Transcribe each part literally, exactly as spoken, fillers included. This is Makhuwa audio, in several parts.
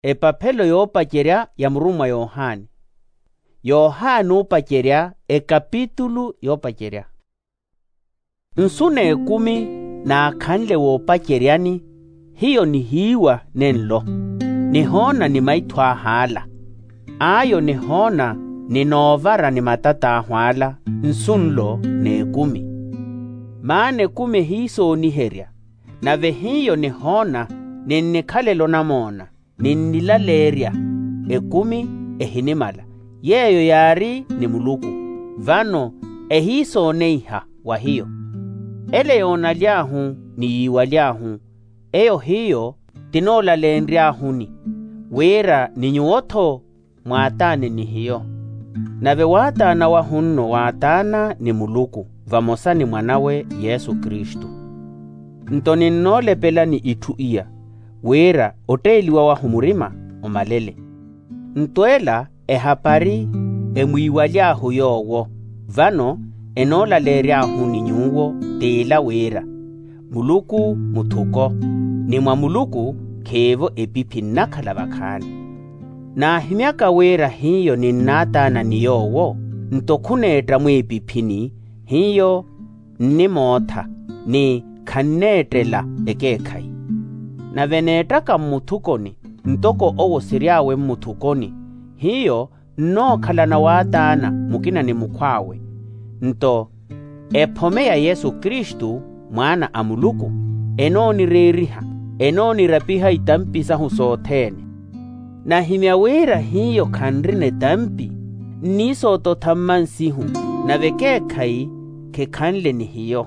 Epaphelo yoopacerya ya murummwa yohani. Yohani oopacerya ekapitulu yoopacerya. Nsu n'ekumi naakhanle woopaceryani, hiyo nihiiwa nenlo, nihoona ni maitho ahu ala. Ayo nihoona ni noovara ni matat'ahu ala nsu nlo n'ekumi. Maana ekumi ehiisooniherya, nave hiyo nihoona, ni nnikhalela onamoona, ni nnilaleerya. Ekumi ehinimala, yeeyo yaari ni muluku, vano ehiisooneiha wa hiyo. Ele yoonaly'ahu ni yiiwaly'ahu, eyo hiyo tinoolaleenry'ahuni, wira ni nyuwo-tho mwaataane ni hiyo. Nave waataana wahu nno waataana ni muluku vamosa ni mwan'awe yesu kristu. Nto ninnoolepelani itthu iya, wira otteeliwa wahu murima omalele. Nto ela ehapari emwiiwaly'ahu yoowo, vano enoolaleery'ahu ni nyuwo, t'ila wira muluku muthuko, ni mwa muluku khiivo epiphi nnakhala vakhaani. Naahimyaka wira hiyo ninnaataana ni yoowo, nto khuneetta mwiipiphini, hiyo nnimootha, ni khanneettela ekeekhayi. Nave neettaka mmuthukoni, ntoko owo siry'awe mmuthukoni, hiyo nnookhalana waataana mukina ni mukhw'awe. Nto ephome ya yesu kristu, mwaana a muluku, enoonireeriha, enoonirapiha itampi sahu sothene. Nahimya wira hiyo khanrina etampi, nniisoototha mmansihu, nave ekeekhayi khikhanle ni hiyo.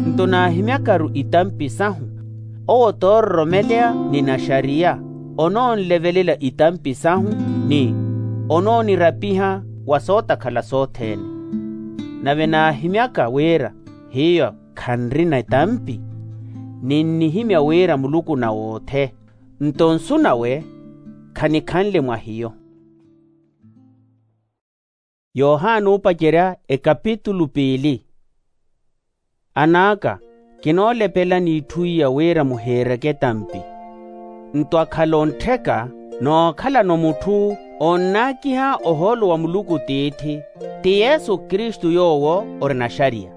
Nto naahimyakaru itampi sahu, owo toororomeleya ni naxariya, onoonlevelela itampi sahu, ni onoonirapiha wa sootakhala sothene. Nave naahimyaka wira hiyo khanrina etampi, ninnihimya wira muluku nawothe, nto nsu nawe khanikhanle mwa hiyo. Yohana oopacerya ekapitulu piili. An'aka, kinoolepelani itthu iya wira muhiireke etampi. Nto akhala onttheka, nookhalano mutthu onnaakiha ohoolo wa muluku tiithi, ti yesu kristu yoowo ori naxariya.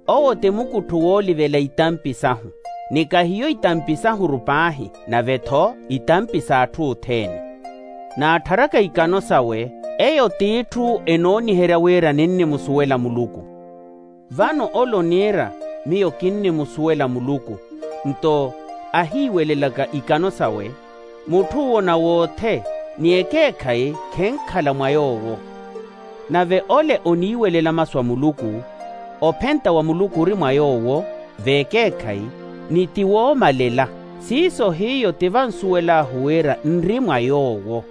Owo ti mukuttho woolivela itampi sahu, ni kahiyo itampi sahuru paahi, nave-tho itampi s'atthu othene. Naattharaka ikano sawe, eyo t'itthu enooniherya wira ninnimusuwela muluku. Vano ole oniira miyo kinnimusuwela muluku, nto ahiiwelelaka ikano sawe, mutth'uwo nawothe, ni ekeekhayi khenkhala mwa yoowo. Nave ole oniiwelela masu a muluku, ophenta wa muluku ori mwa yoowo, v'ekeekhayi, ni ti woomalela. Siiso hiyo ti vansuwel'ahu wira nri mwa yoowo.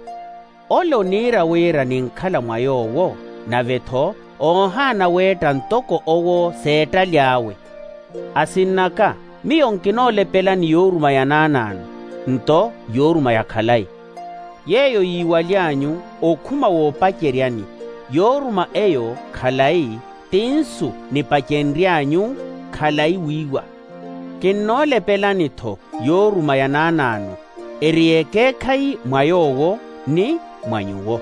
Ole oniira wira ninkhala mwa yoowo, nave-tho oohaana weetta ntoko owo s'eettaly'awe. Asinn'aka, miyo nkinoolepelani yooruma ya naanaano, nto yooruma ya khalayi, yeeyo yiiwaly'anyu okhuma woopaceryani. Yooruma eyo khalayi, ti nsu nipacenry'anyu khalayi wiiwa. Kinnoolepelani-tho yooruma ya naanaano, eri y'ekeekhayi mwa yoowo ni mwa nyuwo.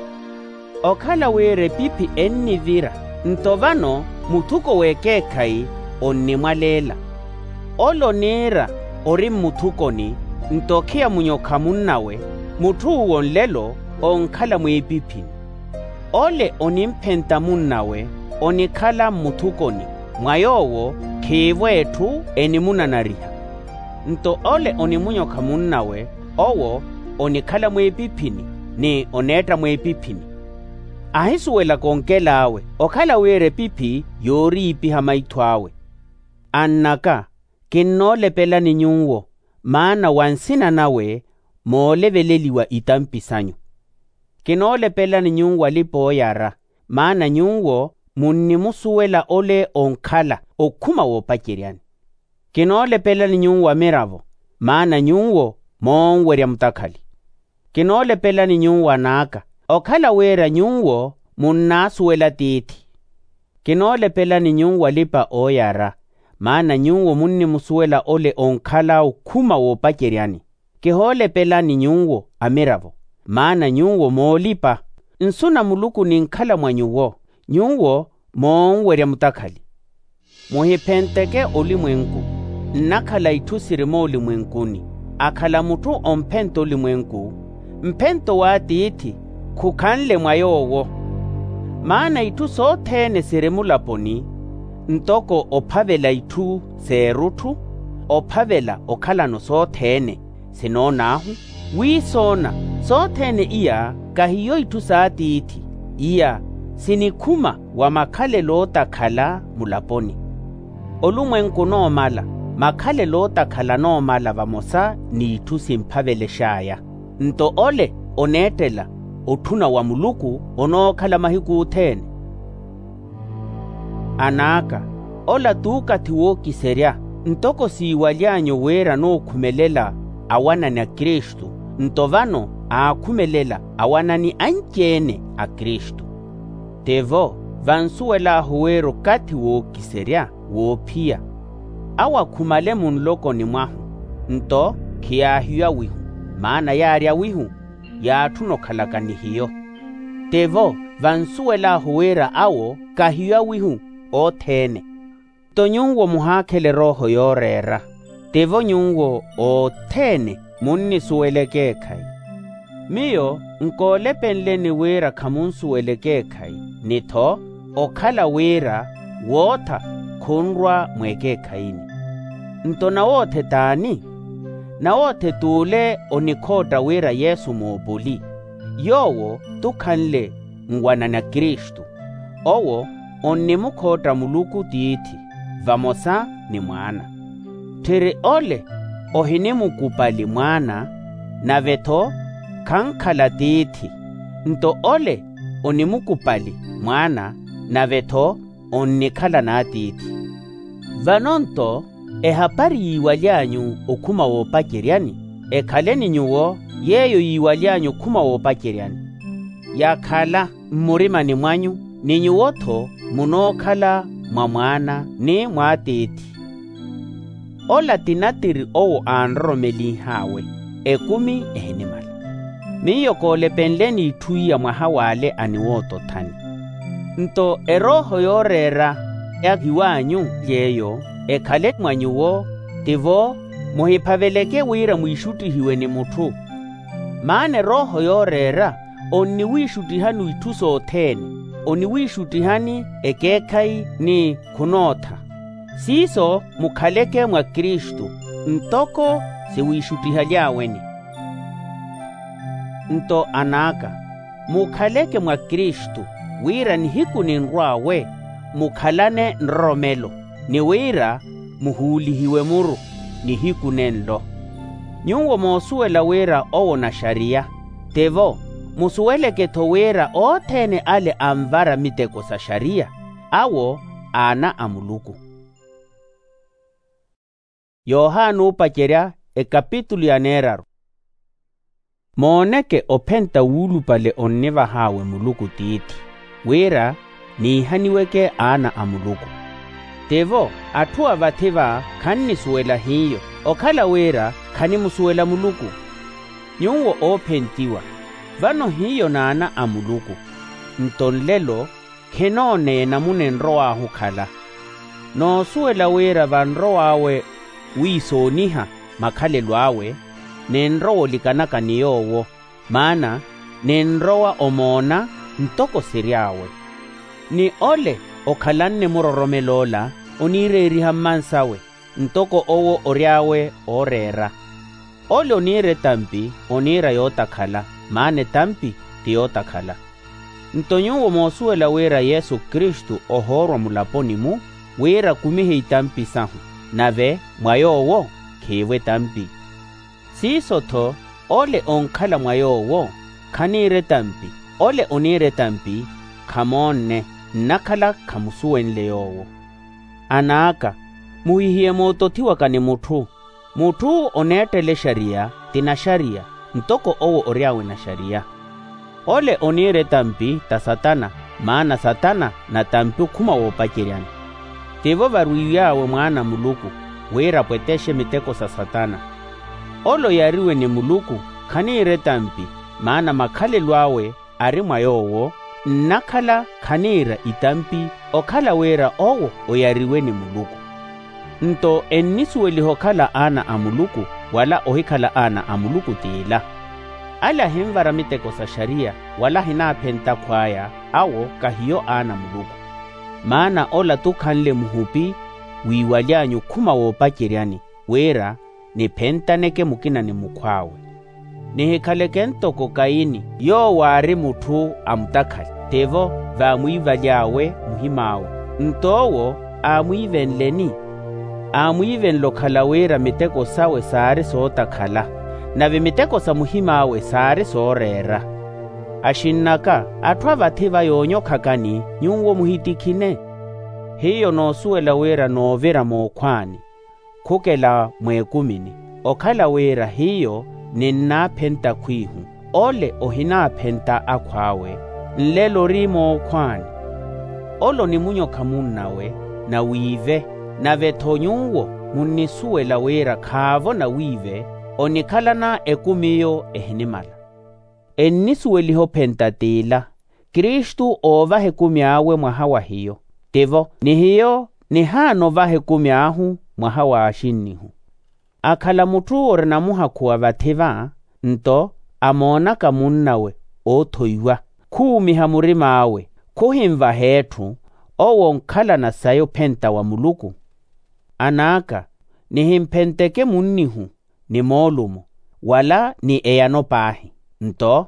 Okhala wira epiphi ennivira, nto vano muthuko w'ekeekhayi onnimwaleela. Ole oniira ori mmuthukoni, nto okhiya munyokha munnawe, mutth'uwo nlelo onkhala mwiipiphini. Ole onimphenta munnawe, onikhala mmuthukoni, mwa yoowo khiivo etthu enimunanariha. Nto ole onimunyokha munnawe, owo onikhala mwiipiphini, ni oneetta mwiipiphini. Ahisuwelaka onkel'awe, okhala wira epiphi yooriipiha maitho awe. Ann'aka, kinnoolepelani nyuwo, maana wa nsina nawe mooleveleliwa itampi sanyu. Kinoolepelani nyuwo alipa-ooyara, maana nyuwo munnimusuwela ole onkhala okhuma woopaceryani. Kinoolepelani nyuwo amiravo, maana nyuwo moonwerya mutakhali. Kinoolepelani nyuwo an'aka, okhala wira nyuwo munnaasuwela tiithi. Kinoolepelani nyuwo alipa-ooyara, maana nyuwo munnimusuwela ole onkhala okhuma woopaceryani. Kihoolepelani nyuwo amiravo, maana nyuwo moolipa. Nsu na muluku ninkhala mwa nyuwo, nyuwo moonwerya mutakhali. Muhiphenteke olimwenku. Nnakhala itthu siri moolimwenkuni. Akhala mutthu omphenta olimwenku, mphento w'atiithi khukhanle mwa yoowo. Maana itthu sothene siri mulaponi, ntoko ophavela itthu s'erutthu, ophavela okhalano sothene, sinoon'ahu, wiisoona, sothene iya kahiyo itthu s'atiithi, iya sinikhuma wa makhalelo ootakhala mulaponi. Olumwenku onoomala, makhalelo ootakhala anoomala vamosa n'itthu simphavelex'aya. Nto ole oneettela otthuna wa muluku onookhala mahiku othene. An'aka, ola t'ukathi wookiserya. Ntoko siiwaly'anyu wira nookhumelela awanani a kristu, nto vano aakhumelela awanani anci-ene a kristu. Tivo, vansuwel'ahu wira okathi wookiserya woophiya, awo akhumale munlokoni mwahu, nto khiyaahiwa wihu, maana yaarya wihu yaatthuna okhalaka ni hiyo. Tivo, vansuwel'ahu wira awo kahiyo awihu othene. Nto nyuwo muhaakhela erooho yooreera, tivo nyuwo othene munnisuwela ekeekhayi. Miyo nkoolepenleni wira khamunsuwela ekeekhayi, ni-tho okhala wira wootha khunrwa mweekeekhayini. Nto nawoothe t'ani? Nawoothe t'ule onikhootta wira yesu moopoli, yoowo t'ukhanle nwanani a kristu. Owo onnimukhootta muluku tiithi vamosa ni mwaana. Tthiri ole ohinimukupali mwaana, nave-tho khankhala tiithi. Nto ole onimukupali mwaana, nave-tho onnikhala n'atiithi. Vano nto ehapari yiiwaly'anyu okhuma woopaceryani, ekhale ni nyuwo yeeyo yiiwaly'anyu okhuma woopaceryani. Yakhala mmurimani mwanyu, ni nyuwo-tho munookhala mwa mwaana ni mw'atiithi. Ola ti natiri owo aanroromelih'awe, ekumi ehinimala. Miyo koolepenleni itthu iya mwaha w'ale aniwootothani. Nto erooho yooreera ya hiw'anyu yeeyo ekhale mwa nyuwo, tivo muhiphaveleke wira mwiixuttihiwe ni mutthu. Maana erooho yooreera onniwiixuttihani itthu sothene, oniwiixuttihani ekeekhayi ni khunootha. Siiso mukhaleke mwa kristu, ntoko siwiixuttihaly'aweni. Nto an'aka, mukhaleke mwa kristu, wira nihiku ninrw'awe mukhalane nroromelo, ni wira muhuulihiwe muru nihiku nenlo. Nyuwo moosuwela wira owo naxariya, tivo musuweleke-tho wira othene ale anvara miteko sa xariya, awo aana a muluku. Yohana oopacerya, ekapitulu ya neeraru. Mooneke ophenta wuulupale onnivah'awe muluku tiithi, wira niihaniweke aana a muluku. Tivo atthu a vathi-va khannisuwela hiyo, okhala wira khanimusuwela muluku. Nyuwo oophentiwa, vano hiyo n'aana a muluku. Nto nlelo khinoona enamuna enrow'ahu okhala. Noosuwela wira vanrow'awe wiisooniha makhalelo awe, ninrowa olikanaka ni yoowo, maana ninrowa omoona ntoko siry'awe. Ni ole okhalanne muroromela ola oniireeriha mmansawe, ntoko owo ory'awe ooreera. Ole oniira etampi oniira yootakhala, maana etampi ti yootakhala. Nto nyuwo moosuwela wira yesu kristu ohoorwa mulaponi-mu, wira akumihe itampi sahu, nave mwa yoowo khiivo etampi. Siiso-tho ole onkhala mwa yoowo khaniira etampi, ole oniira etampi khamoonne, nnakhala khamusuwenle yoowo. An'aka, muhihiye mootothiwaka ni mutthu. Mutthu oneettela exariya ti naxariya, ntoko owo ory'awe naxariya. Ole oniira etampi ta satana, maana satana na tampi okhuma woopaceryani. Tivo varwiiy'awe mwaana a muluku, wira apwetexe miteko sa satana. Ole oyariwe ni muluku khaniira etampi, maana makhalelo awe ari mwa yoowo. Nnakhala khaniira itampi okhala wira owo oyariwe ni muluku. Nto ennisuweliha okhala aana a muluku, wala ohikhala aana a muluku t'ila. Ale ahinvara miteko sa xariya wala ahinaaphenta akhw'aya, awo kahiyo aana a muluku. Maana ola t'ukhanle muhupi wiiwaly'anyu okhuma woopaceryani, wira niphentaneke mukina ni mukhw'awe. Nihikhaleke ntoko kaini, yoowo aari mutthu a mutakhali, tivo vaamwiivaly'awe muhim'awe. Nto owo aamwiivenleni? Aamwiivenle okhala wira miteko sawe saari sootakhala, nave miteko sa muhim'awe saari sooreera. Axinn'aka, atthu a vathi va yoonyokhakani nyuwo muhitikhine. Hiyo noosuwela wira noovira mookhwaani, khukela mweekumini, okhala wira hiyo ninnaaphenta khwiihu, ole ohinaaphenta akhw'awe, nlelo ori mookhwaani. Ole onimunyokha munnawe, nawiive. Nave-tho nyuwo munnisuwela wira khaavo nawiive, onikhalana ekumi eyo ehinimala. Ennisuweliha ophenta t'ila, kristu oovaha ekumi awe mwaha wa hiyo, tivo ni hiyo nihaana ovaha ekumi ahu mwaha wa axinnihu. Akhala mutthu ori namuhakhu wa vathi va, nto amoonaka munnawe oothoiwa, khuumiha murim'awe, khuhinvaha etthu, owo onkhalana sayi ophenta wa muluku. An'aka, nihimphenteke munnihu ni moolumo, wala ni eyano paahi. Nto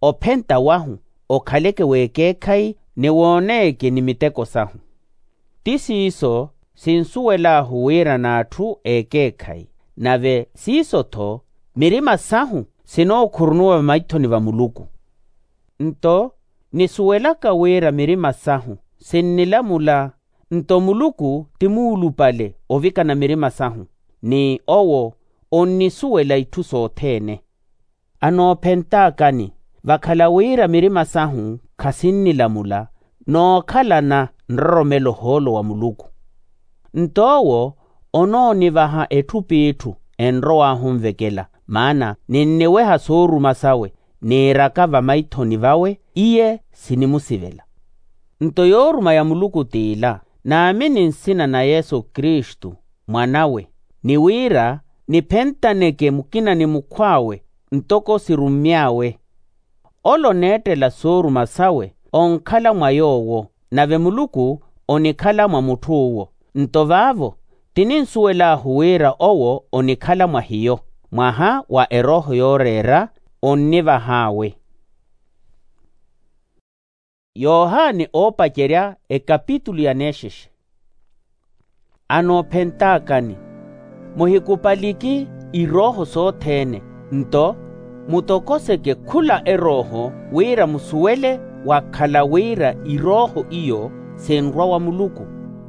ophenta wahu okhaleke w'ekeekhayi, ni wooneke ni miteko sahu. Ti siiso sinsuwel'ahu wira n'atthu ekeekhayi, nave siiso-tho mirima sahu sinookhurunuwa vamaithoni va muluku. Nto nisuwelaka wira mirima sahu sinnilamula, nto muluku ti muulupale ovikana mirima sahu, ni owo onnisuwela itthu sothene. Anoophentaakani, vakhala wira mirima sahu khasinnilamula, nookhalana nroromelo ohoolo wa muluku. Nto owo onoonivaha etthu p'itthu enrow'ahu onvekela, maana ninniweha sooruma sawe, niiraka vamaithoni vawe iye sinimusivela. Nto yooruma ya muluku t'ila, naamini nsina na yesu kristu mwan'awe, ni wira niphentaneke mukina ni mukhw'awe ntoko sirummy'awe. Ole oneettela sooruma sawe onkhala mwa yoowo, nave muluku onikhala mwa mutthu uwo. Nto vaavo tininsuwel'ahu wira owo onikhala mwa hiyo, mwaha wa erooho yooreera onnivah'awe. Yohani oopacerya ekapitulu ya neexexe. Anoophentaakani, muhikupaliki irooho sothene, nto mutokoseke khula erooho wira musuwele wakhala wira irooho iyo sinrwa wa muluku.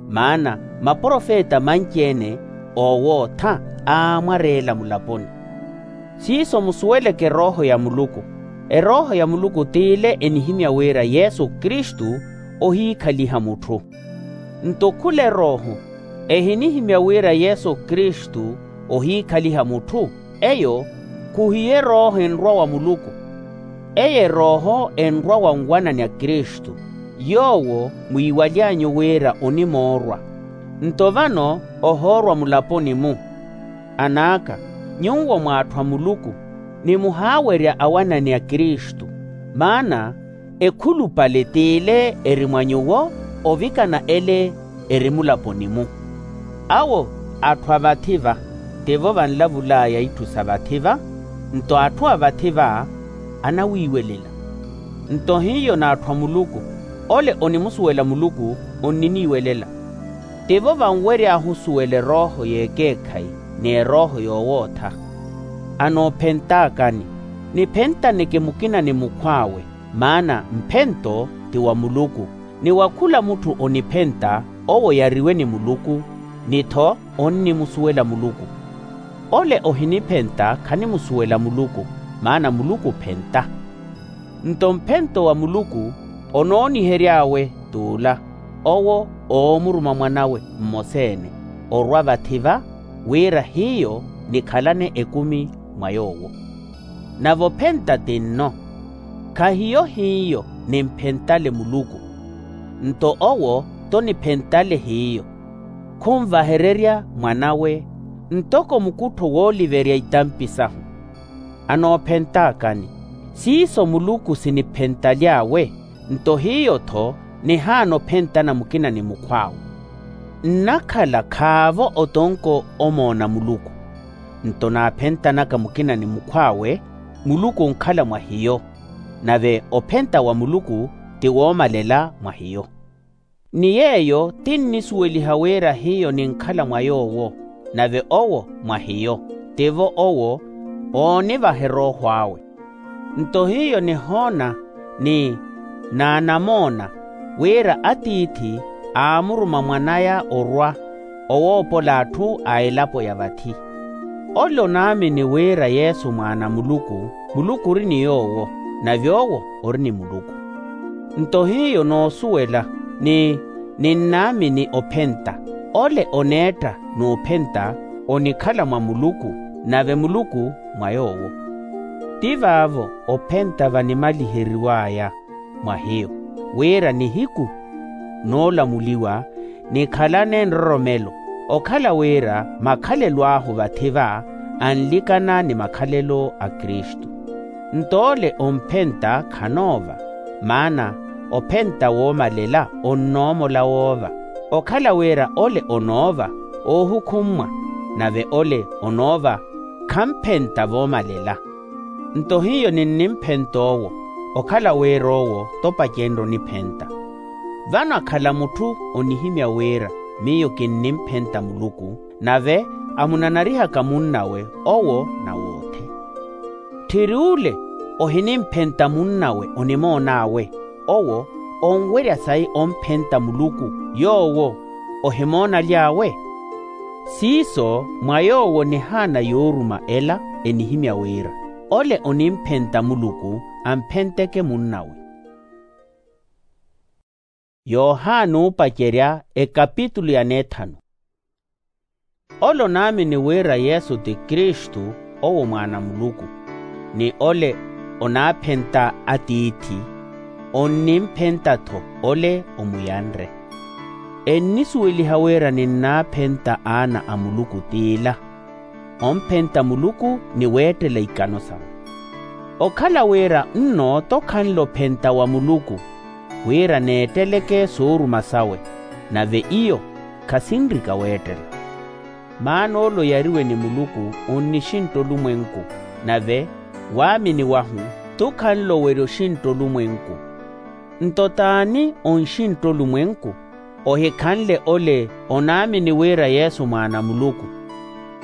Maana maprofeta manci-ene oowootha aamwareela mulaponi. Siiso musuweleke erooho ya muluku. Erooho ya muluku t'ile enihimya wira yesu kristu ohiikhaliha mutthu. Nto khula erooho ehinihimya wira yesu kristu ohiikhaliha mutthu, eyo khuhiyo erooho enrwa wa muluku. Eyo erooho enrwa wa nwanani a kristu, yoowo mwiiwaly'anyu wira onimoorwa. Nto vano ohoorwa mulaponi-mu. An'aka, nyuwo mw'atthu a muluku nimuhaawerya awanani a kristu. Maana ekhulupale t'ile eri mwa nyuwo ovikana ele eri mulaponi-mu. Awo atthu a vathi va, tivo vanlavul'aya itthu sa vathi va, nto atthu a vathi va anawiiwelela. Nto hiyo n'atthu a muluku, ole onimusuwela muluku onniniiwelela. Tivo vanwery'ahu osuwela erooho y'ekeekhayi n'erooho yoowootha. Anoophentaakani, niphentaneke mukina ni mukhw'awe, maana mphento ti wa muluku, ni wa khula mutthu oniphenta owo oyariwe ni muluku, ni-tho onnimusuwela muluku. Ole ohiniphenta khanimusuwela muluku, maana muluku ophenta. Nto mphento wa muluku onoonihery'awe t'ula, owo oomuruma mwan'awe mmosa-ene orwa vathi va, wira hiyo nikhalane ekumi mwa yoowo. Nave ophenta ti nno. Khahiyo hiyo nimphentale muluku, nto owo t'oniphentale hiyo. Khunvahererya mwan'awe ntoko mukuttho wooliverya itampi sahu. Anoophentaakani, siiso muluku siniphentaly'awe. Nto hiyo-tho nihaana ophentana mukina ni mukhw'awe. Nnakhala khaavo otonko omoona muluku. Nto naaphentanaka mukina ni mukhw'awe, muluku onkhala mwa hiyo, nave ophenta wa muluku ti woomalela mwa hiyo. Ni yeeyo tinnisuweliha wira hiyo ninkhala mwa yoowo, nave owo mwa hiyo, tivo owo oonivaha erooho awe. Nto hiyo nihoona ni naanamoona wira atiithi aamuruma mwan'aya orwa owoopola atthu a elapo ya vathi. Ole onaamini wira yesu mwaana a muluku, muluku ori ni yoowo, nave owo ori ni muluku. Nto hiyo noosuwela ni ninnaamini ophenta, ole oneetta n'uphenta onikhala mwa muluku, nave muluku mwa yoowo. Ti vaavo ophenta vanimaliheriw'aya mwa hiyo, wira nihiku noolamuliwa nikhalane nroromelo, okhala wira makhalelo ahu vathi-va anlikana ni makhalelo a kristu. Nto ole omphenta khanoova, maana ophenta woomalela onnoomola woova. Okhala wira ole onoova oohukhummwa, nave ole onoova khamphenta voomalela. Nto hiyo ninnimphenta owo, okhala wira owo t'opacenrye oniphenta. Vano akhala mutthu onihimya wira miyo kinnimphenta muluku, nave amunanarihaka munnawe owo nawoothi. Tthiri ole ohinimphenta munnawe onimoon'awe, owo onwerya sayi omphenta muluku yoowo ohimoonaly'awe. Siiso mwa yoowo nihaana yooruma ela enihimya wira, ole onimphenta muluku amphenteke munnawe. Yohana oopacerya ekapitulu ya neethanu. Ole onaamini wira yesu ti kristu, owo mwaana a muluku, ni ole onaaphenta atiithi, onnimphenta-tho ole omuyanre. Ennisuweliha wira ninnaaphenta aana a muluku t'ila, omphenta muluku ni weettela ikano sawe. Okhala wira nno t'okhanle ophenta wa muluku, wira neetteleke sooruma sawe, nave iyo khasinrika weettela. Maana ole oyariwe ni muluku onnixintta olumwenku, nave waamini wahu t'ukhanle owerya oxintta olumwenku. Nto t'ani onxintta olumwenku? Ohikhanle ole onaamini wira yesu mwaana a muluku.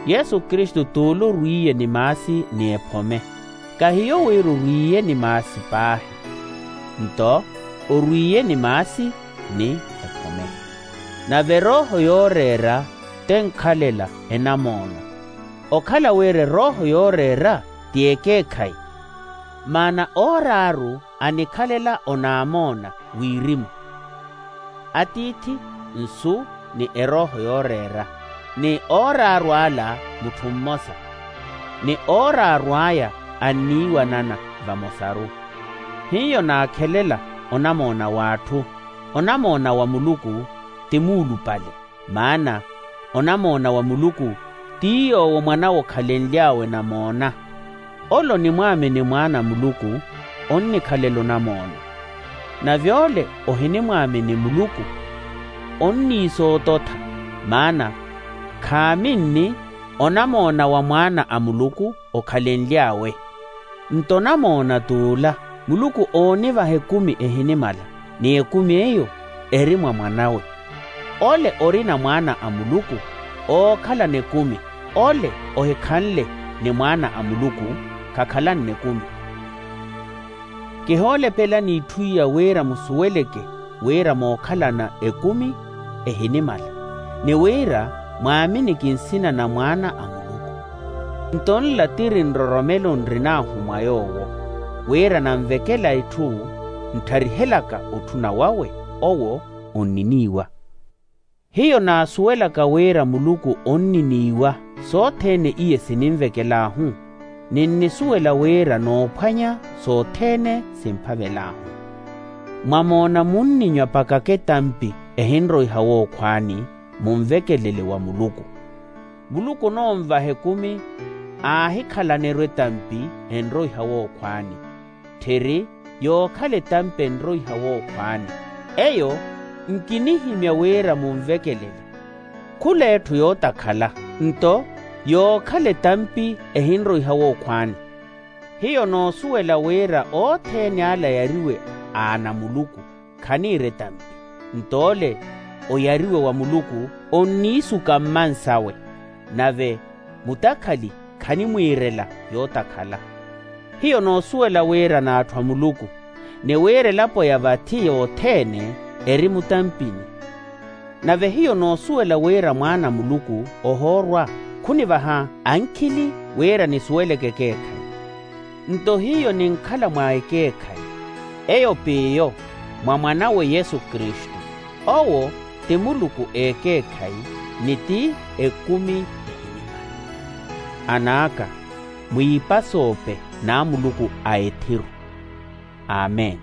Yesu kristu t'ule orwiiye ni maasi ni ephome. Kahiyo wira orwiiye ni maasi paahi, nto orwiiye ni maasi ni ephome. Nave erooho yooreera t'enkhalela enamoona. Okhala wira erooho yooreera ti ekeekhayi, maana ooraaru anikhalela onaamoona wirimu. Atiithi, nsu, ni erooho yooreera, ni ooraaru ala mutthu mmosa, ni ooraaru aya anniiwanana vamosaru. Hiyo naakhelela onamoona w'atthu. Onamoona wa muluku ti muulupale, maana onamoona wa muluku ti yoowo mwan'awe okhalenly'awe namoona. Ole onimwaamini mwaana a muluku onnikhalela onamoona. Nave ole ohinimwaamini muluku onniisoototha, maana khaaminni onamoona wa mwaana a muluku okhalenly'awe. Nto onamoona t'ula, muluku oonivaha ekumi ehinimala, ni ekumi eyo eri mwa mwan'awe. Ole orina mwaana a muluku ookhalana ekumi, ole ohikhanle ni mwaana a muluku khakhalanne ekumi. Kihoolepelani itthu iya wira musuweleke wira mookhalana ekumi ehinimala, ni wira mwaaminiki nsina na mwaana a muluku. Nto nla tiri nroromelo nrin'ahu mwa yoowo, wira nanvekela itthu nttarihelaka otthuna wawe, owo onniniiwa. Hiyo naasuwelaka wira muluku onniniiwa sothene iye sininvekel'ahu. Ninnisuwela wira noophwanya sothene simphavel'ahu. Mwamoona munninywa pakaka etampi ehinroiha wookhwaani, munvekelele wa muluku. Muluku onoonvaha ekumi aahikhalaniru etampi enroiha wookhwaani, tthiri yookhala etampi enroiha wookhwaani. Eyo nkinihimya wira munvekelele. Khula etthu yootakhala, nto yookhala etampi ehinroiha wookhwaani. Hiyo noosuwela wira othene ala ayariwe aana a muluku, khaniira etampi. Nto ole oyariwe wa muluku onniisuka mmansawe, nave mutakhali khanimwiirela yootakhala. Hiyo noosuwela wira n'atthu a muluku, ni wira elapo ya vathi yothene eri mutampini. Nave hiyo noosuwela wira mwaana a muluku ohoorwa, khunivaha ankhili wira nisuweleke ekeekhayi. Nto hiyo ninkhala mwa ekeekhayi, eyo p'iyo mwa mwanawe yesu kristu. Owo ti muluku ekeekhayi, ni ti ekumi ehinimani. An'aka, mwiipasoope n'amuluku a ethiru. Amen.